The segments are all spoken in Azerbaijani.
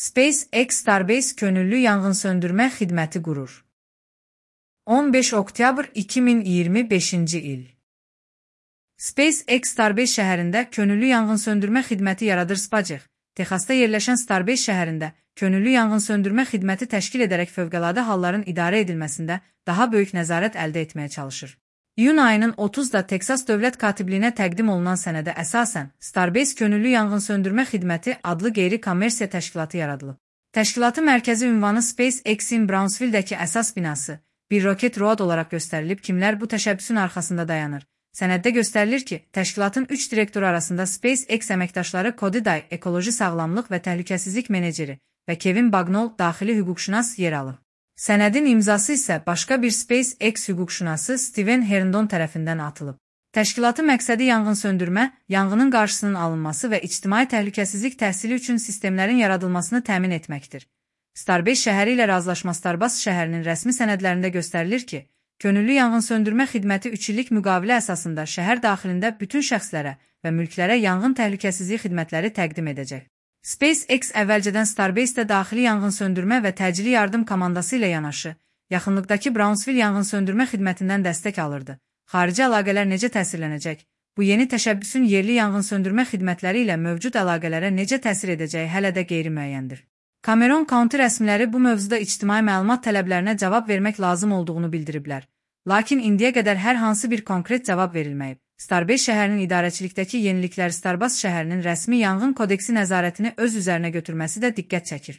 SpaceX Starbase könüllü yanğınsöndürmə xidməti qurur. 15 oktyabr 2025-ci il. SpaceX Starbase şəhərində könüllü yanğınsöndürmə xidməti yaradır. SpaceX, Texasda yerləşən Starbase şəhərində könüllü yanğınsöndürmə xidməti təşkil edərək fövqəladə halların idarə edilməsində daha böyük nəzarət əldə etməyə çalışır. İyun ayının 30-da Texas Dövlət Katibliyinə təqdim olunan sənədə əsasən Starbase Könüllü Yanğınsöndürmə Xidməti adlı qeyri-kommersiya təşkilatı yaradılıb. Təşkilatın mərkəzi ünvanı SpaceX-in Brownsville-dəki əsas binası, bir Rocket Road olaraq göstərilib. Kimlər bu təşəbbüsün arxasında dayanır? Sənəddə göstərilir ki, təşkilatın 3 direktoru arasında SpaceX əməkdaşları Cody Day, ekoloji sağlamlıq və təhlükəsizlik meneceri və Kevin Bagnall, daxili hüquqşünas yer alır. Sənədin imzası isə başqa bir SpaceX hüquqşünası Steven Herndon tərəfindən atılıb. Təşkilatın məqsədi yanğınsöndürmə, yanğının qarşısının alınması və ictimai təhlükəsizlik təhsili üçün sistemlərin yaradılmasını təmin etməkdir. Starbase şəhəri ilə razılaşma Starbase şəhərinin rəsmi sənədlərində göstərilir ki, könüllü yanğınsöndürmə xidməti 3 illik müqavilə əsasında şəhər daxilində bütün şəxslərə və mülklərə yanğın təhlükəsizliyi xidmətləri təqdim edəcək. SpaceX əvvəlcədən Starbase-də daxili yanğınsöndürmə və təcili yardım komandası ilə yanaşı, yaxınlıqdakı Brownsville yanğınsöndürmə xidmətindən dəstək alırdı. Xarici əlaqələr necə təsirlənəcək? Bu yeni təşəbbüsün yerli yanğınsöndürmə xidmətləri ilə mövcud əlaqələrə necə təsir edəcəyi hələ də qeyri-müəyyəndir. Cameron County rəsmiləri bu mövzuda ictimai məlumat tələblərinə cavab vermək lazım olduğunu bildiriblər. Lakin indiyə qədər hər hansı bir konkret cavab verilməyib. Starbase şəhərinin idarəçilikdəki yenilikləri Starbase şəhərinin rəsmi yanğın kodeksi nəzarətini öz üzərinə götürməsi də diqqət çəkir.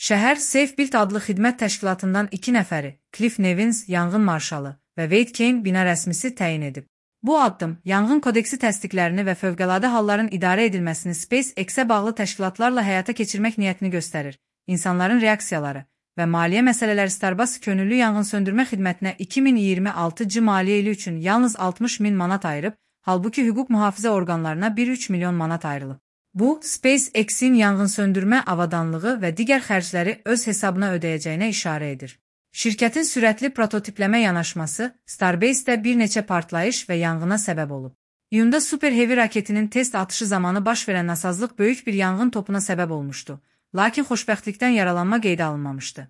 Şəhər Safe Build adlı xidmət təşkilatından 2 nəfəri, Cliff Nevins, yanğın marşalı və Wade Kane, bina rəsmisi təyin edib. Bu addım, yanğın kodeksi təsdiqlərini və fövqəladə halların idarə edilməsini SpaceX-ə bağlı təşkilatlarla həyata keçirmək niyyətini göstərir. İnsanların reaksiyaları və maliyyə məsələləri Starbase könüllü yanğınsöndürmə xidmətinə 2026-cı maliyyə ili üçün yalnız 60.000 manat ayırıb, halbuki hüquq mühafizə orqanlarına 1,3 milyon manat ayrılıb. Bu, SpaceX-in yanğınsöndürmə avadanlığı və digər xərcləri öz hesabına ödəyəcəyinə işarə edir. Şirkətin sürətli prototipləmə yanaşması Starbase-də bir neçə partlayış və yanğına səbəb olub. İyunda Super Heavy raketinin test atışı zamanı baş verən nasazlıq böyük bir yanğın topuna səbəb olmuşdu. Lakin xoşbəxtlikdən yaralanma qeydə alınmamışdı.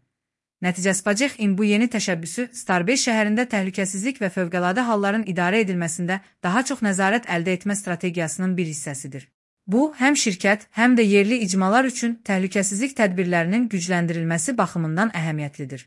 Nəticə SpaceX-in bu yeni təşəbbüsü Starbase şəhərində təhlükəsizlik və fövqəladə halların idarə edilməsində daha çox nəzarət əldə etmə strategiyasının bir hissəsidir. Bu, həm şirkət, həm də yerli icmalar üçün təhlükəsizlik tədbirlərinin gücləndirilməsi baxımından əhəmiyyətlidir.